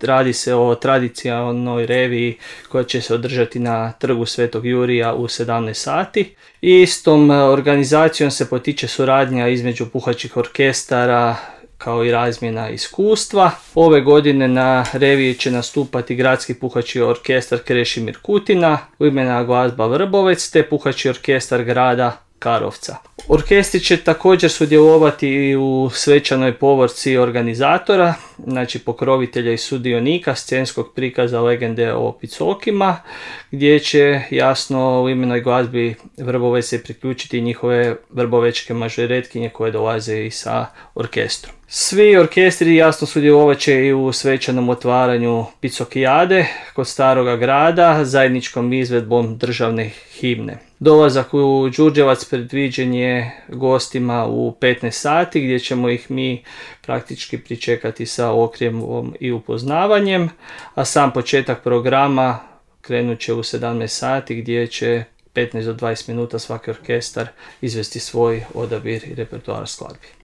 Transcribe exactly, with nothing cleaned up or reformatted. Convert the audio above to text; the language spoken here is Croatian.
Radi se o tradicionalnoj reviji koja će se održati na Trgu Svetog Jurija u sedamnaest sati. I istom organizacijom se potiče suradnja između puhačkih orkestara kao i razmjena iskustva. Ove godine na reviji će nastupati Gradski puhački orkestar Krešimir Kutina, Umjetna glazba Vrbovec te Puhački orkestar grada Karlovca. Orkestri će također sudjelovati i u svečanoj povorci organizatora, znači pokrovitelja i sudionika scenskog prikaza legende o Picokima, gdje će jasno u Imenoj glazbi Vrbovec se priključiti njihove vrbovečke mažoretkinje koje dolaze i sa orkestrom. Svi orkestri jasno sudjelovat će i u svečanom otvaranju Picokijade kod Staroga grada zajedničkom izvedbom državne himne. Dolazak u Đurđevac predviđen je gostima u petnaest sati gdje ćemo ih mi praktički pričekati sa okrijemom i upoznavanjem, a sam početak programa krenut će u sedamnaest sati gdje će petnaest do dvadeset minuta svaki orkestar izvesti svoj odabir i repertoar skladbi.